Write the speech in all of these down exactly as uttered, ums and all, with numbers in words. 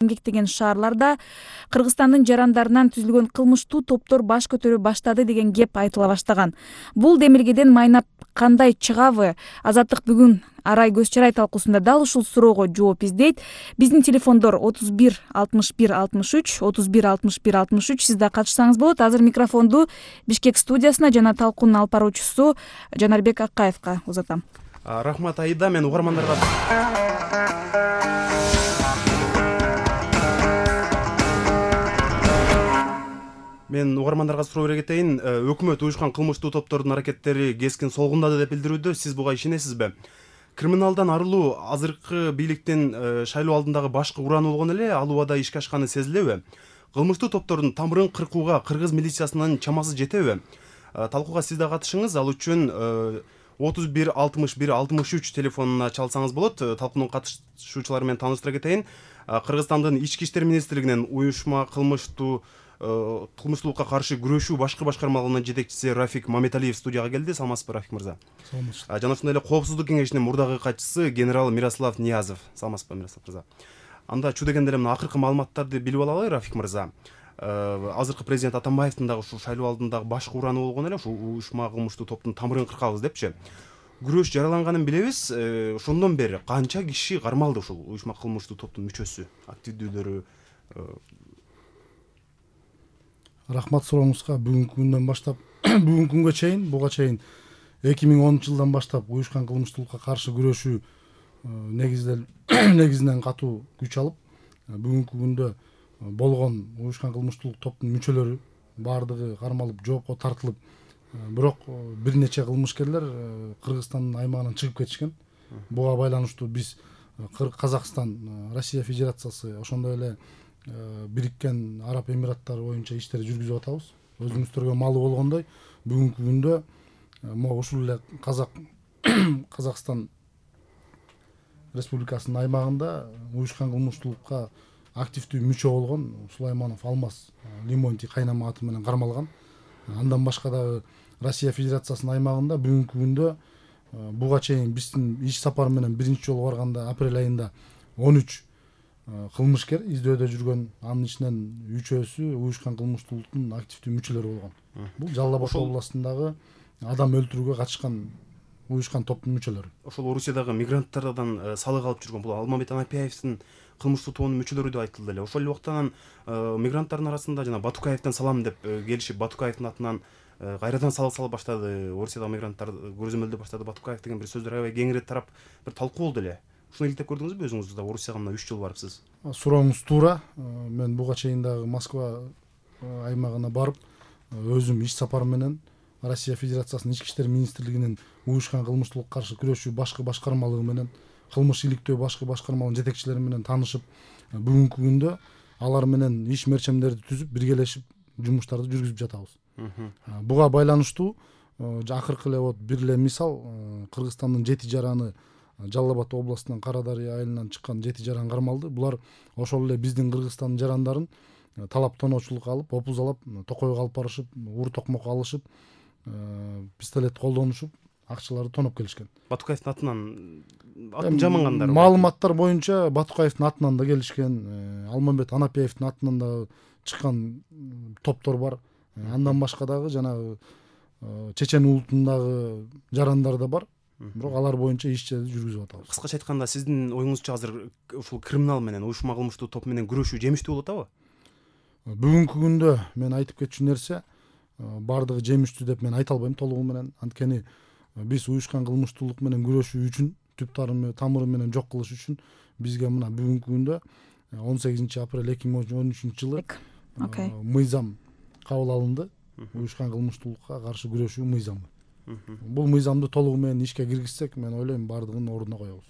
эмгектеген шаарларда Кыргызстандын жарандарынан түзүлгөн кылмыштуу топтор баш көтөрө баштады деген кеп айтыла баштаган. Бул демилгеден майнап кандай чыгабы? Азаттык бүгүн Арай көз чарай талкуусунда дал ушул суроого жооп издейт. Биздин телефондор отуз бир алтымыш бир алтымыш үч, отуз бир алтымыш бир алтымыш үч. Сиз да катышсаңыз болот. Азыр микрофонду Бишкек студиясына жана талкуунун алып баруучусу Жанарбек Аккаевка узатам. Рахмат Аида, мен угармандарга Мен угармандарга суроо бере кетейин. Өкмөт уюшкан кылмыштуу топтордун аракеттери кескин солгундады деп билдирүүдө. Сиз буга ишенесизби? Криминалдан арылуу азыркы бийликтин шайлоо алдындагы башкы ураны болгон эле ал убада ишке ашканы сезилеби? Кылмыштуу топтордун тамырын кыркууга кыргыз милициясынын чамасы жетеби? Талкууга сиз да катышыңыз. Ал үчүн отуз бир алтымыш бир алтымыш үч телефонуна чалсаңыз болот. Талкуунун катышуучулары менен тааныштыра кетейин. Кыргызстандын ички иштер министрлигинин уюшма кылмыштуу кылмыштуулукка каршы күрөшүү башкы башкармалыгынын жетекчиси Рафик Маматалиев студияга келди. Саламатсызбы, Рафик мырза? Саламатчылык. Жана ошондой эле Коопсуздук кеңешинин мурдагы катчысы генерал Мирослав Ниязов. Саламатсызбы, Мирослав мырза? Анда чу дегенде эле мына акыркы маалыматтарды билип алалы, Рафик мырза. Азыркы президент Атамбаевдин дагы ушул шайлоо алдындагы башкы ураны болгон эле ушул уюшма кылмыштуу топтун тамырын кыркабыз депчи. Күрөш жараланганын билебиз. Ошондон бери канча киши кармалды ушул уюшма кылмыштуу топтун мүчөсү, активдүүлөрү? Рахмат сурооңузга. Бүгүнкү күндөн баштап бүгүнкү күнгө чейин, буга чейин эки миң онунчу жылдан баштап уюшкан кылмыштуулукка каршы күрөшүү негизинен катуу күч алып, бүгүнкү күндө болгон уюшкан кылмыштуулук топтун мүчөлөрү баардыгы кармалып, жоопко тартылып, бирок бир нече кылмышкерлер Кыргызстандын аймагынан чыгып кетишкен. Буга байланыштуу биз Казакстан, Россия Федерациясы, ошондой эле Бириккен Араб Эмираттары боюнча иштер жүргүзүп атабыз. Өзүңүздөргө маалым болгондой, бүгүнкү күндө могу ушул эле Казак Казакстан Республикасынын аймагында уюшкан кылмыштуулукка активдүү мүчө болгон Сулайманов Алмаз Лимонти кайнама аты менен кармалган. Андан башка дагы Россия Федерациясынын аймагында бүгүнкү күндө буга чейин биздин иш сапар менен биринчи жолу барганда апрель айында он үч кылмышкер издөөдө жүргөн, анын ичинен үчөөсү уюшкан кылмыштуулуктун активдүү мүчөлөрү болгон. Бул Жалал Абад областындагы адам өлтүрүүгө катышкан уюшкан топтун мүчөлөрү. Ошол Орусиядагы мигранттардан салык алып жүргөн бул Алмамбет Анапиевдин кылмыштуу тобунун мүчөлөрү деп айтылды эле. Ошол эле убактан мигранттардын арасында жана Батукаевден салам деп келишип, Батукаевдин атынан кайрадан салык салып баштады. Орусиядагы мигранттар көрзөмөлдөй баштады Батукаев деген бир сөздөр аябай кеңири тарап бир талкуу болду эле. Ушуну иликтеп көрдүңүзбү өзүңүз да? Орусияга мына үч жыл барыпсыз. Сурооңуз туура. Мен буга чейин дагы Москва аймагына барып, өзүм иш сапар менен Россия Федерациясынын ички иштер министрлигинин уюшкан кылмыштуулукка каршы күрөшүү башкы башкармалыгы менен, кылмыш иликтөө башкы башкармалыгынын жетекчилери менен таанышып, бүгүнкү күндө алар менен иш мерчемдерди түзүп, биргелешип жумуштарды жүргүзүп жатабыз. Буга байланыштуу акыркы эле вот бир эле мисал, Кыргызстандын жети жараны Жалал Абад областынын Кара Дарыя айылынан чыккан жети жаран кармалды. Булар ошол эле биздин Кыргызстандын жарандарын талап тоноочулукка алып, опузалап, токойго алып барышып, ур токмок алышып, пистолет колдонушуп, акчаларды тоноп келишкен. Батукаевдин атынан атын жамангандар. Маалыматтар боюнча Батукаевдин атынан да келишкен, Алмамбет Анапиевдин атынан да чыккан топтор бар. Андан башка дагы жанагы чечен улутундагы жарандар да бар. Бирок алар боюнча иштерди жүргүзүп атабыз. Кыскача айтканда, сиздин оюңузча азыр ушул криминал менен, уюшма кылмыштуу топ менен күрөшүү жемиштүү болуп атабы? Бүгүнкү күндө мен айтып кетчү нерсе бардыгы жемиштүү деп мен айта албайм толугу менен. Анткени биз уюшкан кылмыштуулук менен күрөшүү үчүн, түп тамыры менен жок кылыш үчүн бизге мына бүгүнкү күндө он сегизинчи апрель эки миң он үчүнчү жылы мыйзам кабыл алынды. Уюшкан кылмыштуулукка каршы күрөшүү мыйзамы. Бул мыйзамды толугу менен ишке киргизсек, мен ойлойм бардыгын ордуна коебуз.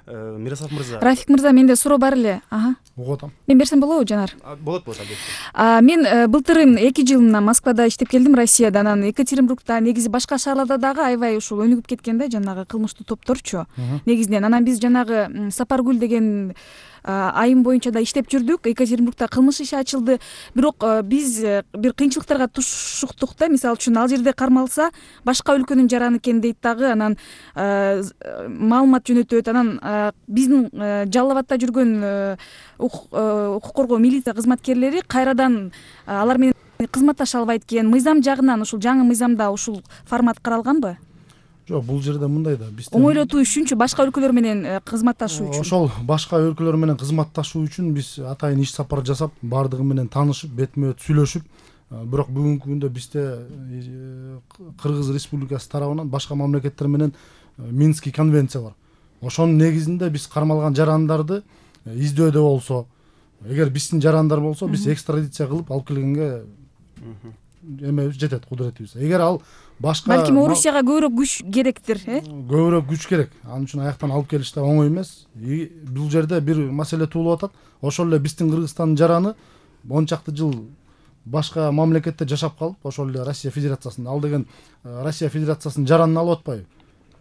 Мирослав мырза. Рафик мырза, менде суроо бар эле. Ага. Угуп атам. Мен берсем болобу, Жанар? Болот, болот, албетте. Мен былтырын эки жыл мына Москвада иштеп келдим, Россияда, анан Екатеринбургда, негизи башка шаарларда дагы аябай ушул өнүгүп кеткен да жанагы кылмыштуу топторчу. Негизинен анан биз жанагы Сапаргүл деген айым боюнча да иштеп жүрдүк. Екатеринбургда кылмыш иши ачылды. Бирок биз бир кыйынчылыктарга тушуктук да. Мисалы үчүн ал жерде кармалса башка өлкөнүн жараны экен дейт дагы. Анан маалымат жөнөтөт. Анан биздин Жалал абадта жүргөн укук коргоо милиция кызматкерлери кайрадан алар менен кызматташа албайт экен. Мыйзам жагынан ушул жаңы мыйзамда ушул формат каралганбы? Жок, бул жерде мындай да, бизде оңойлотуу үчүнчү башка өлкөлөр менен кызматташуу үчүн. Ошол башка өлкөлөр менен кызматташуу үчүн биз атайын иш сапар жасап, бардыгы менен таанышып, бетме бет сүйлөшүп, бирок бүгүнкү күндө бизде Кыргыз Республикасы тарабынан башка мамлекеттер менен Минский конвенция бар. Ошонун негизинде биз кармалган жарандарды издөөдө болсо, эгер биздин жарандар болсо, биз экстрадиция кылып алып келгенге эмебиз жетет, кудуретибиз. Эгер ал башка балким Орусияга көбүрөөк күч керектир, э? Көбүрөөк күч керек. Анын үчүн аяктан алып келиш да оңой эмес. Бул жерде бир маселе туулуп атат. Ошол эле биздин Кыргызстандын жараны он чакты жыл башка мамлекетте жашап калып, ошол эле Россия Федерациясында, ал деген Россия Федерациясынын жаранын алып атпайбы?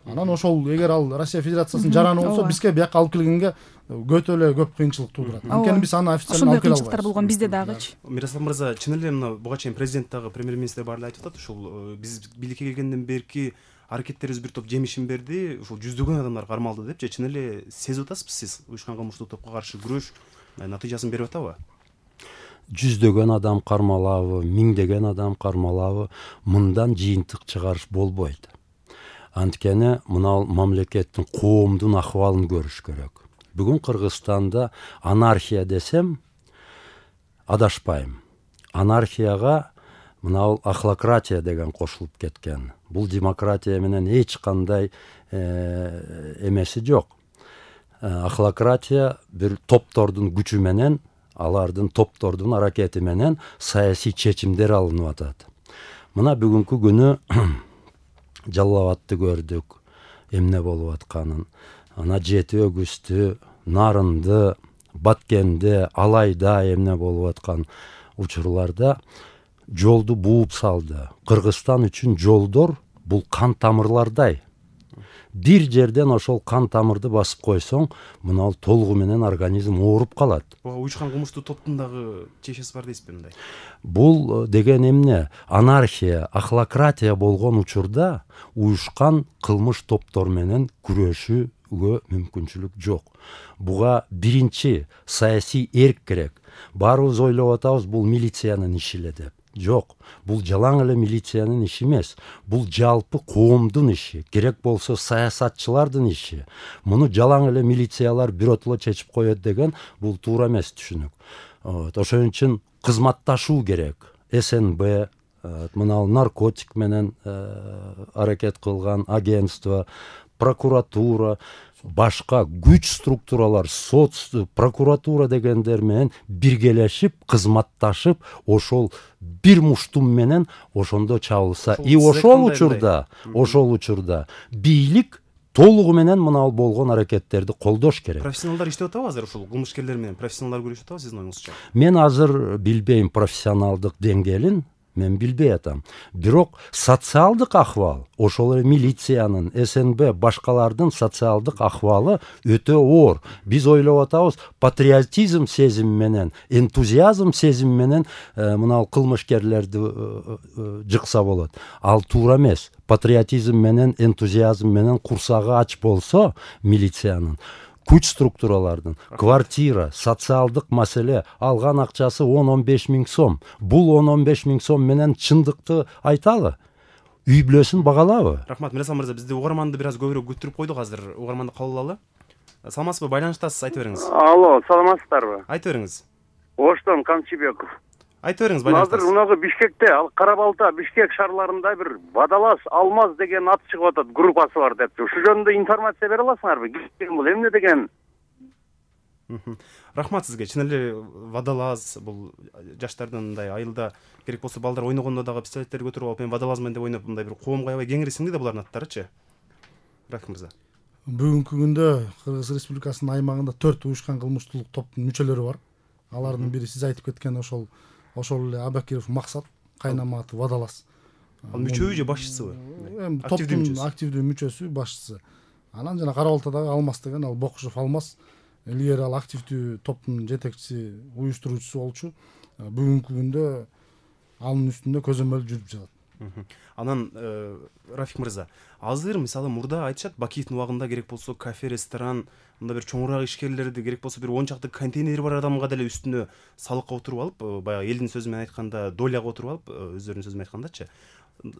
Анан ошол эгер ал Россия Федерациясынын жараны болсо, бизге бияка алып келгенге өтө эле көп кыйынчылык туудурат. Анткени биз аны официально алып келе албайбыз. Кыйынчылыктар болгон бизде дагычы. Мирослав мырза, чын эле мына буга чейин президент дагы, премьер-министр баары эле айтып атат, ушул биз бийликке келгенден берки аракеттерибиз бир топ жемишин берди, ушул жүздөгөн адамдар кармалды деп же чын эле сезип атасызбы сиз уюшкан кылмыштуу топко каршы күрөш натыйжасын берип атабы? Жүздөгөн адам кармалабы, миңдеген адам кармалабы, мындан жыйынтык чыгарыш болбойт. Анткени мына мамлекеттин, коомдун акыбалын көрүш керек. Бүгүн Кыргызстанда анархия десем адашпайм. Анархияга мына ахлократия деген кошулуп кеткен. Бул демократия менен эч кандай эмеси жок. Ахлократия бир топтордун күчү менен, алардын топтордун аракети менен саясий чечимдер алынып атат. Мына бүгүнкү күнү Жалал абадты көрдүк, эмне болуп атканын. Ана Жети Өгүстү, Нарынды, Баткенде, Алайда эмне болуп аткан учурларда жолду бууп салды. Кыргызстан үчүн жолдор бул кан тамырлардай. Бир жерден ошол кан тамырды басып койсоң, мына толугу менен организм ооруп калат. Буга уюшкан кылмыштуу топтун дагы чечеси бар дейсизби мындай? Бул деген эмне? Анархия, ахлократия болгон учурда уюшкан кылмыш топтор менен күрөшүүгө мүмкүнчүлүк жок. Буга биринчи саясий эрк керек. Баарыбыз ойлоп атабыз, бул милициянын иши эле деп. Жок, бул жалаң эле милициянын иши эмес. Бул жалпы коомдун иши, керек болсо саясатчылардын иши. Муну жалаң эле милициялар биротоло чечип коет деген бул туура эмес түшүнүк. Ошон үчүн кызматташуу керек. СНБ, мына наркотик менен аракет кылган агентство, прокуратура, башка күч структуралар, сот, прокуратура дегендер менен биргелешип, кызматташып, ошол бир муштум менен ошондо чабылса, и ошол учурда, ошол учурда бийлик толугу менен мына болгон аракеттерди колдош керек. Профессионалдар иштеп атабы азыр ушул кылмышкерлер менен? Профессионалдар күрөшүп атабы сиздин оюңузча? Мен азыр билбейм профессионалдык деңгээлин. Мен билбей атам. Бирок социалдык ахвал, ошол эле милициянын, СНБ, башкалардын социалдык ахвалы өтө оор. Биз ойлоп атабыз, патриотизм сезими менен, энтузиазм сезими менен мына кылмышкерлерди жыкса болот. Ал туура эмес. Патриотизм менен, энтузиазм менен курсагы ач болсо милициянын, күч структуралардын, квартира, социалдык маселе, алган акчасы он он беш миң сом. Бул он он беш миң сом менен чындыкты айталы. Үй бүлөсүн багалабы? Рахмат, Мирослав мырза, бизде угарманды бир аз көбүрөөк күттүрүп койдук азыр. Угарманды кабыл алалы. Саламатсызбы? Байланыштасыз, айта бериңиз. Алло, саламатсыздарбы? Айта бериңиз. Оштон Камчыбеков. Айта бериңиз, байланыштасыз. Азыр мунагы Бишкекте, ал Кара-Балта, Бишкек шаарларында бир Бадалас, Алмаз деген ат чыгып атат, группасы бар депчи. Ушул жөнүндө информация бере аласыңарбы? Бул эмне деген? Рахмат сизге. Чын эле Вадалаз бул жаштардын мындай айылда керек болсо балдар ойногондо дагы пистолеттерди көтөрүп алып, мен Вадалаз менен деп ойноп, мындай бир коомго аябай кеңири сиңди да булардын аттарычы. Рахмат мырза. Бүгүнкү күндө Кыргыз Республикасынын аймагында төрт уюшкан кылмыштуулук топтун мүчөлөрү бар. Алардын бири сиз айтып кеткен ошол ошол эле Абакиров Максат, кайнама аты Вадалас. Ал мүчөбү же башчысыбы? Эми топтун активдүү мүчөсү, башчысы. Анан жана Кара-Балтадагы Алмаз деген, ал Бокушев Алмаз, илгери ал активдүү топтун жетекчиси, уюштуруучусу болчу. Бүгүнкү күндө анын үстүндө көзөмөл жүрүп жатат. Анан Рафик мырза, азыр мисалы мурда айтышат, Бакиевдин убагында керек болсо кафе, ресторан, мында бир чоңураак ишкерлерди, керек болсо бир он чакты контейнери бар адамга деле үстүнө салыкка отуруп алып, баягы элдин сөзү менен айтканда доляга отуруп алып, өздөрүнүн сөзү менен айткандачы,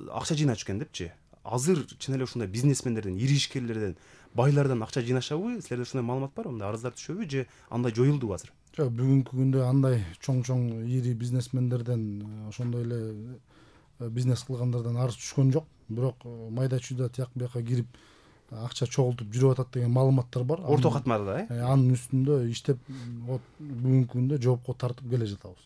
акча жыйнашып экен депчи. Азыр чын эле ушундай бизнесмендерден, ири ишкерлерден, байлардан акча жыйнашабы? Силерде ушундай маалымат барбы? Мындай арыздар түшөбү же андай жоюлдубу азыр? Жок, бүгүнкү күндө андай чоң-чоң ири бизнесмендерден, ошондой эле бизнес кылгандардан арыз түшкөн жок. Бирок майда чүйдө тияк бияка кирип акча чогултуп жүрүп атат деген маалыматтар бар. Орто катмада, э? Анын үстүндө иштеп бүгүнкү күндө жоопко тартып келе жатабыз.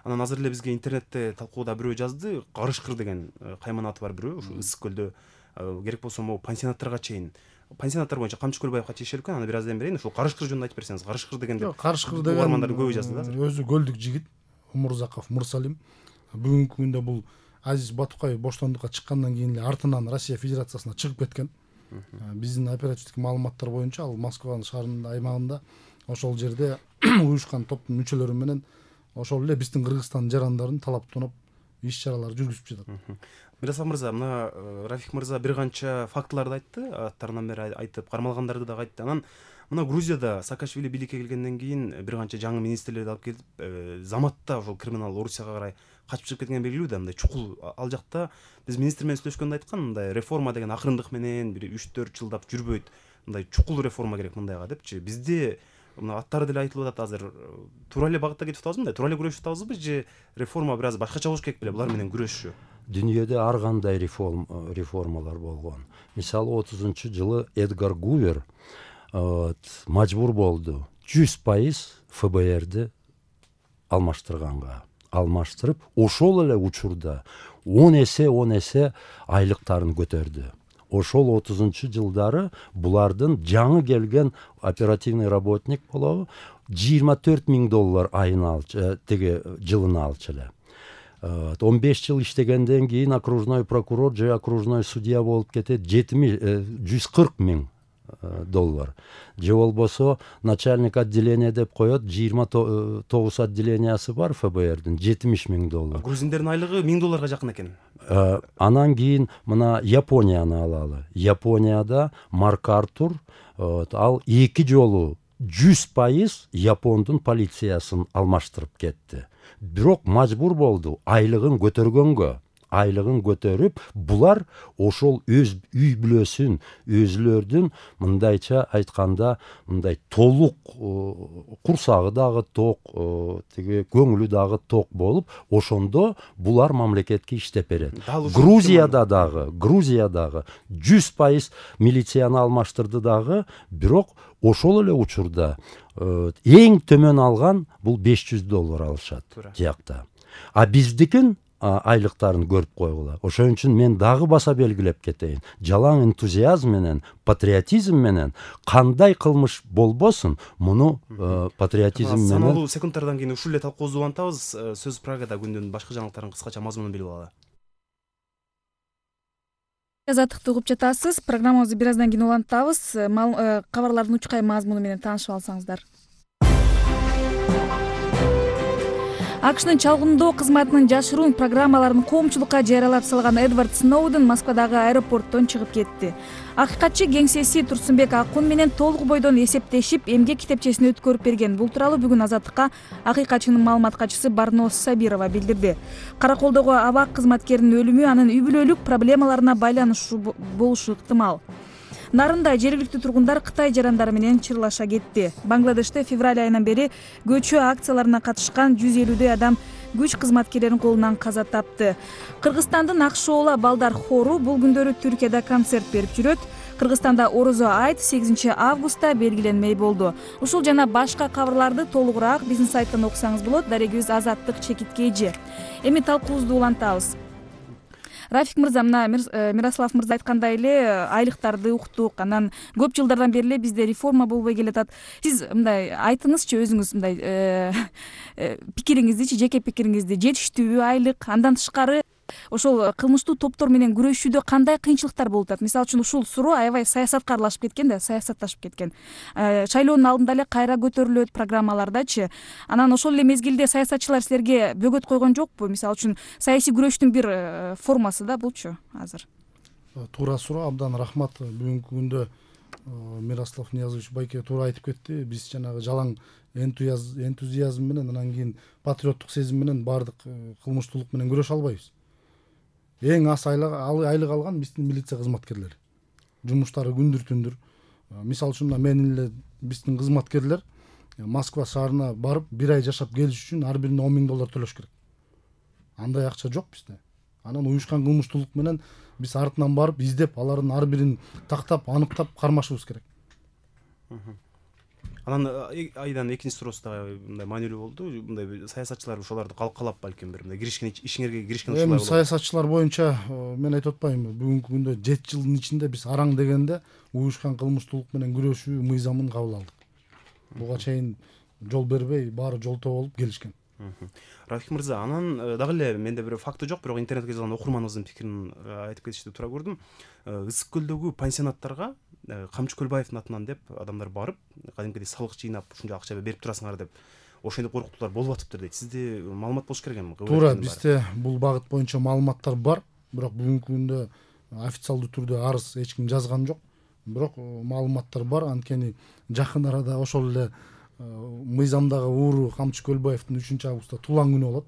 Анан азыр эле бизге интернетте талкууда бирөө жазды, Карышкыр деген кайманаты бар бирөө, ушу Ысык көлдө керек болсо могу пансионаттарга чейин, пансионаттар боюнча Камчы Көлбаевга тиешелүү экен. Аны бир аздан берейин. Ушул Карышкыр жөнүндө айтып берсеңиз. Карышкыр дегенде Карышкыр деген угармандардын көбү жазды да. Өзү көлдүк жигит, Умурзаков Мурсалим. Бүгүнкү күндө бул Азиз Батукаев боштондукка чыккандан кийин эле артынан Россия Федерациясына чыгып кеткен. Биздин оперативдик маалыматтар боюнча ал Москва шаарынын аймагында ошол жерде уюшкан топтун мүчөлөрү менен ошол эле биздин Кыргызстандын жарандарын талаптанып иш чаралар жүргүзүп жатат. Мирасов мырза, мына Рафик мырза бир канча фактыларды айтты, аттарынан бери айтып, кармалгандарды да айтты. Анан мына Грузияда Саакашвили бийликке келгенден кийин бир канча жаңы министрлерди алып келип, заматта ошол криминал Орусияга карай качып чыгып кеткен белгилүү да, мындай чукул. Ал жакта биз министр менен сүйлөшкөндө айткан, мындай реформа деген акырындык менен бир үч төрт жылдап жүрбөйт, мындай чукул реформа керек мындайга депчи. Бизде мына аттары деле айтылып атат азыр. Туура эле багытта кетип атабызбы, мындай туура эле күрөшүп атабызбы же реформа бир аз башкача болуш керек беле булар менен күрөшүү? Дүйнөдө ар кандай реформалар болгон. Мисалы отузунчу жылы Эдгар Гувер мажбур болду жүз пайыз эф бэ эрди алмаштырганга. Алмаштырып, ошол эле учурда он эсе он эсе айлыктарын көтөрдү. Ошол отузунчу жылдары булардын жаңы келген оперативный работник болобу жыйырма төрт миң доллар айына алчу, теге жылына алчу эле. он беш жыл иштегенден кийин окружной прокурор же окружной судья болуп кетет, жүз кырк миң доллар. Же болбосо начальник отделения деп коет, жыйырма тогуз отделениясы бар эф бэ эрдин, жетимиш миң доллар. Грузиндердин айлыгы миң долларга жакын экен. Анан кийин мына Японияны алалы. Японияда Марк Артур ал эки жолу жүз пайыз Япондун полициясын алмаштырып кетти. Бирок мажбур болду айлыгын көтөргөнгө. Айлыгын көтөрүп, булар ошол өз үй бүлөсүн, өзүлөрдүн мындайча айтканда, мындай толук курсагы дагы ток, тиги көңүлү дагы ток болуп, ошондо булар мамлекетке иштеп берет. Грузияда дагы, Грузиядагы жүз пайыз милицияны алмаштырды дагы, бирок ошол эле учурда эң төмөн алган бул беш жүз доллар алышат жакта. А биздикин айлыктарын көрүп койгула. Ошон үчүн мен дагы баса белгилеп кетейин. Жалаң энтузиазм менен, патриотизм менен кандай кылмыш болбосун, муну патриотизм менен. Саналуу секундтардан кийин ушул эле талкуубузду улантабыз. Сөз Прагада күндүн башка жаңылыктарын кыскача мазмунун билип алалы. Азаттыкты угуп жатасыз. Программабызды бир аздан кийин улантабыз. Кабарлардын учкай мазмуну менен таанышып алсаңыздар. АКШнын чалгындоо кызматынын жашыруун программаларын коомчулукка жарыялап салган Эдвард Сноуден Москвадагы аэропорттон чыгып кетти. Акыйкатчы кеңсеси Турсунбек Акун менен толук бойдон эсептешип, эмгек китепчесин өткөрүп берген. Бул тууралуу бүгүн Азаттыкка акыйкатчынын маалымат катчысы Барнос Сабирова билдирди. Караколдогу абак кызматкеринин өлүмү анын үй бүлөлүк проблемаларына байланыштуу болушу ыктымал. Нарында жергиликтүү тургундар Кытай жарандары менен чырлаша кетти. Бангладеште февраль айынан бери көчүү акцияларына катышкан жүз элүүдөй адам күч кызматкерлеринин колунан каза тапты. Кыргызстандын Акшоола балдар хору бул күндөрү Түркияда концерт берип жүрөт. Кыргызстанда Орозо айт сегизинчи августта белгиленмей болду. Ушул жана башка кабарларды толугураак биздин сайттан окусаңыз болот. Дарегибиз Азаттык чекитке эже. Эми талкуубузду улантабыз. Рафик мырза, мына Мирослав мырза айткандай эле айлыктарды уктук. Анан көп жылдардан бери эле бизде реформа болбой келатат. Сиз мындай айтыңызчы өзүңүз мындай пикириңизди, жеке пикириңизди, жетиштүүбү айлык? Андан тышкары ошол кылмыштуу топтор менен күрөшүүдө кандай кыйынчылыктар болуп атат? Мисалы үчүн ушул суроо аябай саясатка аралашып кеткен да, саясатташып кеткен. Шайлоонун алдында эле кайра көтөрүлөт программалардачы. Анан ошол эле мезгилде саясатчылар силерге бөгөт койгон жокпу? Мисалы үчүн саясий күрөштүн бир формасы да булчу азыр. Туура суроо, абдан рахмат. Бүгүнкү күндө Мирослав Ниязович байке туура айтып кетти. Биз жанагы жалаң энтузиазм менен, анан кийин патриоттук сезим менен баардык кылмыштуулук менен күрөшө албайбыз. Эң аз айлык алган биздин милиция кызматкерлери. Жумуштары күндүр түндүр. Мисалы үчүн менин эле биздин кызматкерлер Москва шаарына барып бир ай жашап келиш үчүн ар бирине он миң доллар төлөш керек. Андай акча жок бизде. Анан уюшкан кылмыштуулук менен биз артынан барып издеп, алардын ар бирин тактап, аныктап кармашыбыз керек. Анан айдан экинчи суроосу дагы мындай маанилүү болду. Мындай саясатчылар ошолорду калкалап балким бир мындай киришкен ишиңерге киришкен ушулар болот. Эми саясатчылар боюнча мен айтып атпаймынбы, бүгүнкү күндө жети жылдын ичинде биз араң дегенде уюшкан кылмыштуулук менен күрөшүү мыйзамын кабыл алдык. Буга чейин жол бербей, баары жолтоо болуп келишкен. Рафик мырза, анан дагы эле менде бир факты жок, бирок интернетке жазган окурманыбыздын пикирин айтып кетишти туура көрдүм. Ысык көлдөгү пансионаттарга Камчы Көлбаевдин атынан деп адамдар барып, кадимкидей салык жыйнап, ушунча акча берип турасыңар деп ошентип коркутуулар болуп атыптыр дейт. Сизде маалымат болуш керек эми. Туура, бизде бул багыт боюнча маалыматтар бар, бирок бүгүнкү күндө официалдуу түрдө арыз эч ким жазган жок. Бирок маалыматтар бар, анткени жакын арада ошол эле мыйзамдагы ууру Камчы Көлбаевдин үчүнчү августта туулган күнү болот.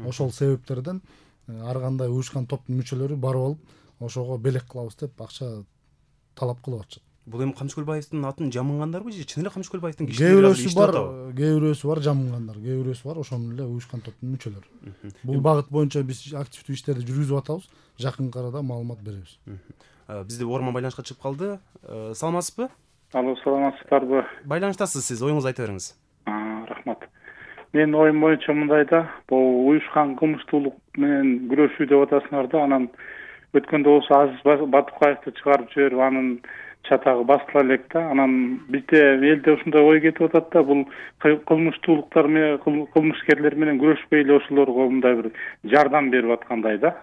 Ошол себептерден ар кандай уюшкан топтун мүчөлөрү барып алып, ошого белек кылабыз деп акча талап кылып атышат. Бул эми Камчы Көлбаевдин атын жамынгандарбы же чын эле Камчы Көлбаевдин кишилери кээ бирөөсү бар, кээ бирөөсү бар жамынгандар, кээ бирөөсү бар ошонун эле уюшкан топтун мүчөлөрү. Бул багыт боюнча биз активдүү иштерди жүргүзүп атабыз, жакын арада маалымат беребиз. Бизде угарман байланышка чыгып калды. Саламатсызбы? Алло, саламатсыздарбы? Байланыштасыз сиз, оюңузду айта бериңиз. Рахмат. Менин оюм боюнча мындай да, бул уюшкан кылмыштуулук менен күрөшүү деп атасыңар да, анан өткөндө болсо Азиз Батукаевди чыгарып жиберип, анын чатагы басыла элек да. Анан бизде элде ушундай ой кетип атат да, бул кылмыштуулуктар менен, кылмышкерлер менен күрөшпөй эле ошолорго мындай бир жардам берип аткандай да.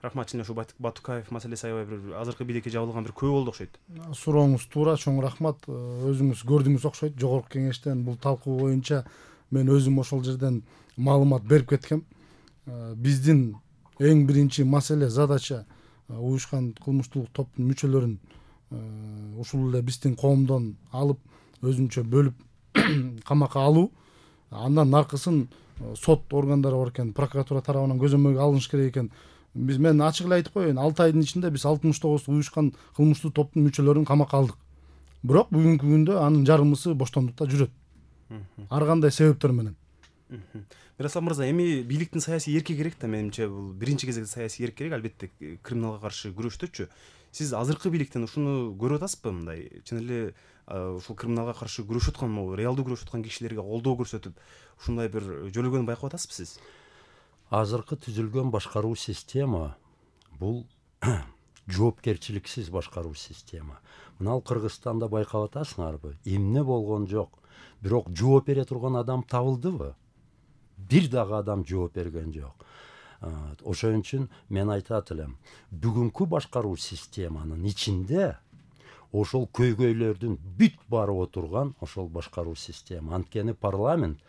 Рахмат, чын ошо Батукаев маселеси аябай бир азыркы билекке жабылган бир күбө болду окшойт. Сурооңуз туура, чоң рахмат. Өзүңүз көрдүңүз окшойт, жогорку кеңештен бул талкуу боюнча мен өзүм ошол жерден маалымат берип кеткем. Биздин эң биринчи маселе, задача уюшкан кылмыштуулук топтун мүчөлөрүн ушул эле биздин коомдон алып, өзүнчө бөлүп камакка алуу. Андан наркысын сот органдары бар экен, прокуратура тарабынан көзөмөлгө алыныш керек экен. Биз мен ачык эле айтып коеюн, алты айдын ичинде биз алтымыш тогуз уюшкан кылмыштуу топтун мүчөлөрүн камакка алдык. Бирок бүгүнкү күндө анын жарымысы боштондукта жүрөт. Ар кандай себептер менен. Мирослав мырза, эми бийликтин саясий эрки керек да, менимче бул биринчи кезекте саясий эрк керек, албетте криминалга каршы күрөштөчү. Сиз азыркы бийликтен ушуну көрүп атасызбы, мындай чын эле ушул криминалга каршы күрөшүп аткан, могу реалдуу күрөшүп аткан кишилерге колдоо көрсөтүп, ушундай бир жөлөгөнү байкап атасызбы сиз? Азыркы түзүлгөн башкаруу система бул жоопкерчиликсиз башкаруу система. Мына Кыргызстанда байкап атасыңарбы? Эмне болгон жок. Бирок жооп бере турган адам табылдыбы? Бир дагы адам жооп берген жок. Ошон үчүн мен айтат элем, бүгүнкү башкаруу системанын ичинде ошол көйгөйлөрдүн бүт барып отурган ошол башкаруу система. Анткени парламент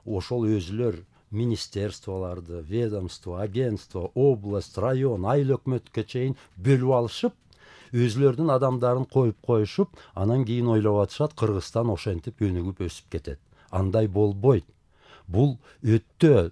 ошол өзүлөр министерстволарды, ведомство, агентство, область, район, айыл өкмөткө чейин бөлүп алышып, өзүлөрдүн адамдарын коюп коюшуп, анан кийин ойлоп атышат, Кыргызстан ошентип өнүгүп өсүп кетет. Андай болбойт. Бул өтө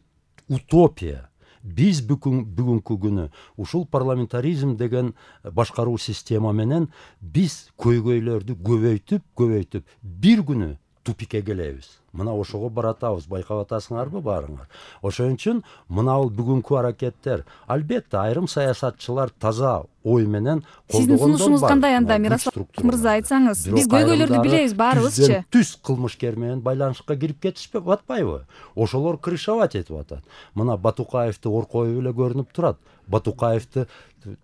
утопия. Биз бүгүнкү күнү ушул парламентаризм деген башкаруу система менен биз көйгөйлөрдү көбөйтүп, көбөйтүп бир күнү тупикке келебиз. Мына ошого баратабыз, байкап атасыңарбы баарыңар. Ошон үчүн мына бул бүгүнкү аракеттер, албетте айрым саясатчылар таза ой менен колдогондор бар. Сиздин сунушуңуз кандай анда, Мирослав мырза, айтсаңыз? Биз көйгөйлөрдү билебиз баарыбызчы. Түз кылмышкер менен байланышка кирип кетишпеп атпайбы? Ошолор крышавать этип атат. Мына Батукаевди оркоюп эле көрүнүп турат. Батукаевди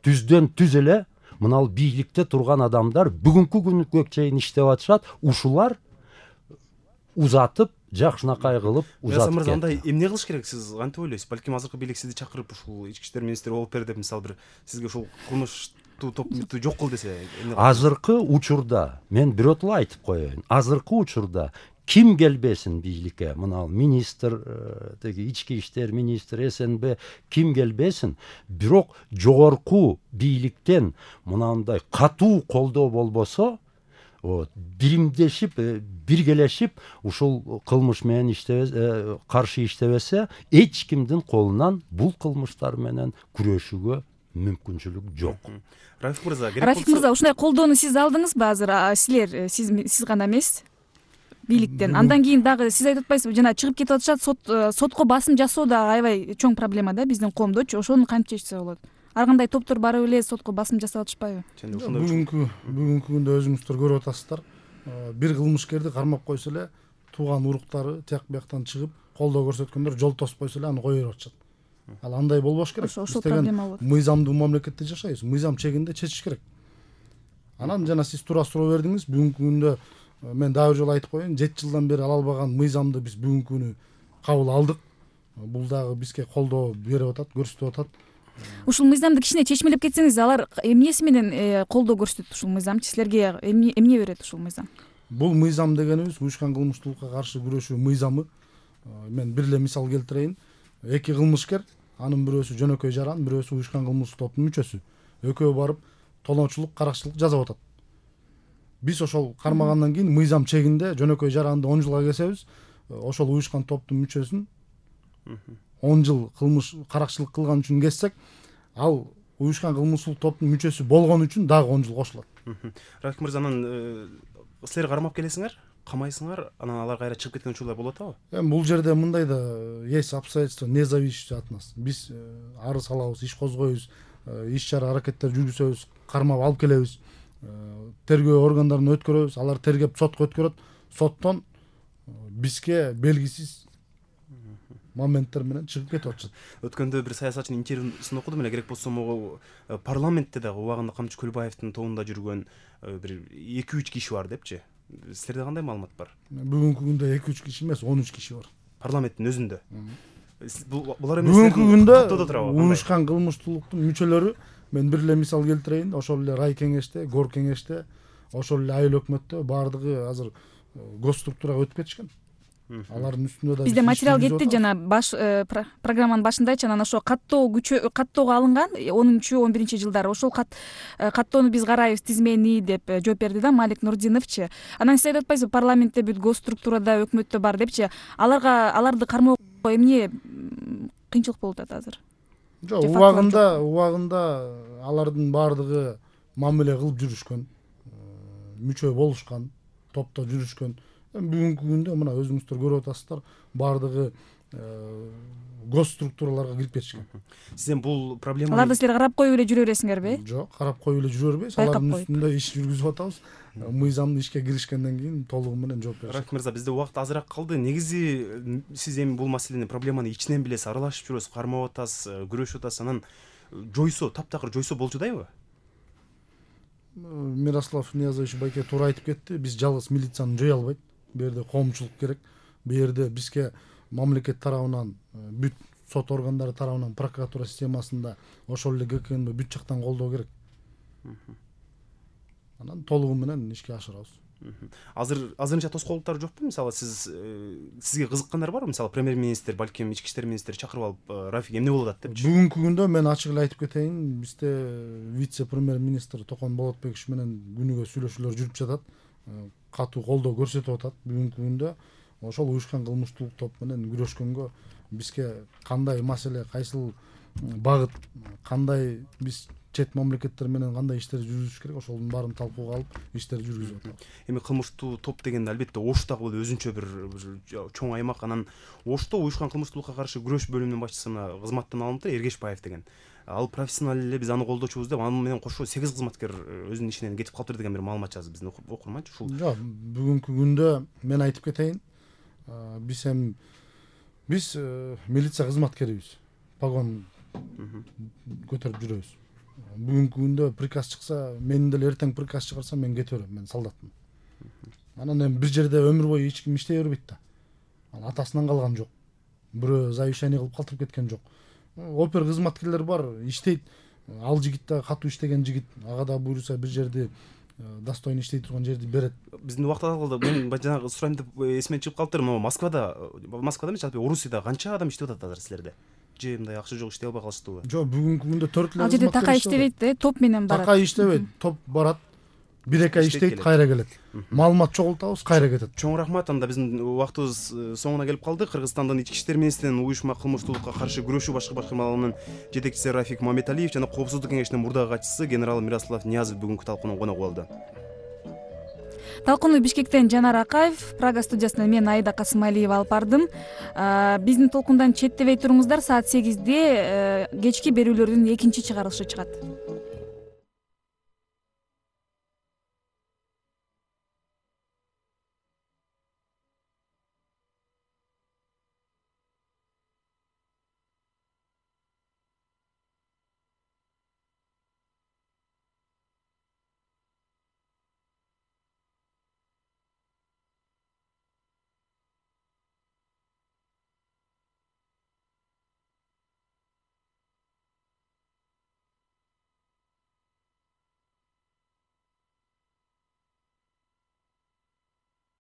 түздөн түз эле мына бул бийликте турган адамдар бүгүнкү күнгө чейин иштеп атышат. Ушулар узатып жакшынакай кылып Мырза узатып андай кетти. эмне кылыш керек, сиз кантип ойлойсуз? Балким азыркы бийлик сизди чакырып ушул ички иштер министри болуп бер деп, мисалы бир сизге ушул кылмыштуу топту жок кыл десе, эмне кыласыз? Азыркы учурда мен биротоло айтып коеюн. Азыркы учурда ким келбесин бийликке, мына министр, теги ички иштер министри, СНБ ким келбесин, бирок жогорку бийликтен мынандай катуу колдоо болбосо, вот биримдешип, биргелешип ушул кылмыш менен иштебесе, каршы иштебесе, эч кимдин колунан бул кылмыштар менен күрөшүүгө мүмкүнчүлүк жок. Рафик мырза, керек Рафик мырза, ушундай колдоону сиз алдыңызбы азыр? Силер, сиз сиз гана эмес, бийликтен. Андан кийин дагы сиз айтып атпайсызбы, жана чыгып кетип атышат, сот сотко басым жасоо да аябай чоң проблема да биздин коомдочу. Ошону кантип чечсе болот? Ар кандай топтор барып эле сотко басым жасап атышпайбы? Бүгүнкү бүгүнкү күндө өзүңүздөр көрүп атасыздар. Бир кылмышкерди кармап койсо эле тууган уруктары тияк бияктан чыгып колдоо көрсөткөндөр жол тосуп койсо эле аны кое берип атышат. Ал андай болбош керек. Ошол проблема болот. Мыйзамдуу мамлекетте жашайбыз. Мыйзам чегинде чечиш керек. Анан жана сиз туура суроо бердиңиз. Бүгүнкү күндө мен дагы бир жолу айтып коеюн, жети жылдан бери ала албаган мыйзамды биз бүгүнкү күнү кабыл алдык. Бул дагы бизге колдоо берип атат, көрсөтүп атат. Ушул мыйзамды кичине чечмелеп кетсеңиз, алар эмнеси менен колдоо көрсөтөт ушул мыйзамчы? Силерге эмне эмне берет ушул мыйзам? Бул мыйзам дегенибиз уюшкан кылмыштуулукка каршы күрөшүү мыйзамы. Мен бир эле мисал келтирейин. Эки кылмышкер, анын бирөөсү жөнөкөй жаран, бирөөсү уюшкан кылмыштуу топтун мүчөсү. Экөө барып тоноочулук, каракчылык жасап атат. Биз ошол кармагандан кийин мыйзам чегинде жөнөкөй жаранды он жылга кесебиз. Ошол уюшкан топтун мүчөсүн он жыл кылмыш каракчылык кылган үчүн кессек, ал уюшкан кылмыштуулук топтун мүчөсү болгон үчүн дагы он жыл кошулат. Рафик мырза, анан силер кармап келесиңер, камайсыңар, анан алар кайра чыгып кеткен учурлар болуп атабы? Эми бул жерде мындай да есть обстоятельства, не зависящие от нас. Биз арыз алабыз, иш козгойбуз, иш чара аракеттер жүргүзөбүз, кармап алып келебиз, тергөө органдарына өткөрөбүз, алар тергеп сотко өткөрөт. Соттон бизге белгисиз моменттер менен чыгып кетип атышат. Өткөндө бир саясатчынын интервьюсун окудум эле, керек болсо могу парламентте дагы убагында Камчы Көлбаевдин тобунда жүргөн бир эки үч киши бар депчи. Силерде кандай маалымат бар? Бүгүнкү күндө эки үч киши эмес, он үч киши бар. Парламенттин өзүндө. Булар эмес. Бүгүнкү күндө уюшкан кылмыштуулуктун мүчөлөрү, мен бир эле мисал келтирейин, ошол эле рай кеңеште, гор кеңеште, ошол эле айыл өкмөттө баардыгы азыр госструктурага өтүп кетишкен. Алардын үстүндө да бизде материал кетти, жана баш программанын башында айтчу, анан ошо каттоо күчө каттоого алынган онунчу он биринчи жылдары. Ошол каттоону биз карайбыз, тизмени деп жооп берди да Малик Нурдиновчу. Анан сиз айтып атпайсызбы, парламентте бүт госструктурада, өкмөттө бар депчи. Аларга аларды кармоо эмне кыйынчылык болуп атат азыр? Жок, убагында, убагында алардын баардыгы мамиле кылып жүрүшкөн, мүчө болушкан, топто жүрүшкөн. Бүгүнкү күндө мына өзүңүздөр көрүп атасыздар, баардыгы госструктураларга кирип кетишкен. Сиз эми бул проблема аларды силер карап коюп эле жүрө бересиңерби? Жок, карап коюп эле жүрө бербейбиз. Алардын үстүндө иш жүргүзүп атабыз. Мыйзамды ишке киришкенден кийин толугу менен жооп беребиз. Рафик мырза, бизде убакыт азыраак калды. Негизи сиз эми бул маселени, проблеманы ичинен билесиз, аралашып жүрөсүз, кармап атасыз, күрөшүп атасыз. Анан жойсо, таптакыр жойсо болчудайбы? Мирослав Ниязович байке туура айтып кетти. Биз жалгыз милицияны жое албайт. Бу жерде коомчулук керек. Бу жерде бизге мамлекет тарабынан, бүт сот органдары тарабынан, прокуратура системасында, ошол эле ГКНБ бүт жактан колдоо керек. Анан толугу менен ишке ашырабыз. Азыр азырынча тоскоолдуктар жокпу? Мисалы сиз сизге кызыккандар барбы? Мисалы премьер-министр, балким ички иштер министри чакырып алып, Рафик эмне болуп атат депчи. Бүгүнкү күндө мен ачык эле айтып кетейин, бизде вице-премьер-министр Токон Болотбекович менен күнүгө сүйлөшүүлөр жүрүп жатат. Катуу колдоо көрсөтүп атат. Бүгүнкү күндө ошол уюшкан кылмыштуулук топ менен күрөшкөнгө бизге кандай маселе, кайсыл багыт, кандай биз чет мамлекеттер менен кандай иштер жүргүзүш керек, ошонун баарын талкууга алып иштер жүргүзүп атабыз. Эми кылмыштуу топ дегенде албетте Ош дагы бул өзүнчө бир чоң аймак. Анан Ошто уюшкан кылмыштуулукка каршы күрөш бөлүмүнүн башчысы мына кызматтан алынды, Эргешбаев деген. Ал профессионал эле, биз аны колдочубуз деп, аны менен кошо сегиз кызматкер өзүнүн ишинен кетип калыптыр деген бир маалымат жазды биздин окурманчы. Ушул жок, бүгүнкү күндө мен айтып кетейин, биз эми биз милиция кызматкерибиз. Погон көтөрүп жүрөбүз. Бүгүнкү күндө приказ чыкса, мен деле эртең приказ чыгарса мен кете берем, мен солдатмын. Анан эми бир жерде өмүр бою эч ким иштей бербейт да. атасынан калган жок, бирөө завещание кылып калтырып кеткен жок. Опер кызматкерлер бар, иштейт. Ал жигит да катуу иштеген жигит, ага да буйруса бир жерди достойно иштей турган жерди берет. Биздин убакыт алгылда мен жанагы сурайм деп эсимден чыгып калыптыр. Могу Москвада, Москвада эмес, жалпы Орусияда канча адам иштеп атат азыр силерде? Же мындай акча жок иштей албай калыштыбы? Жок, бүгүнкү күндө төрт эле Ал жерде такай иштебейт да, топ менен барат. Такай иштебейт, топ барат. Бир эки ай иштейт, кайра келет. Маалымат чогултабыз, кайра кетет. Чоң рахмат. Анда биздин убактыбыз соңуна келип калды. Кыргызстандын ички иштер министринин уюшма кылмыштуулукка каршы күрөшүү башкы башкармалыгынын жетекчиси Рафик Мамедалиев жана Коопсуздук кеңешинин мурдагы катчысы генерал Мирослав Ниязов бүгүнкү талкуунун коногу болду. Талкууну Бишкектен Жанар Акаев, Прага студиясынан мен Аида Касымалиева алып бардым. Биздин толкундан четтебей туруңуздар. Саат сегизде кечки берүүлөрдүн экинчи чыгарылышы чыгат.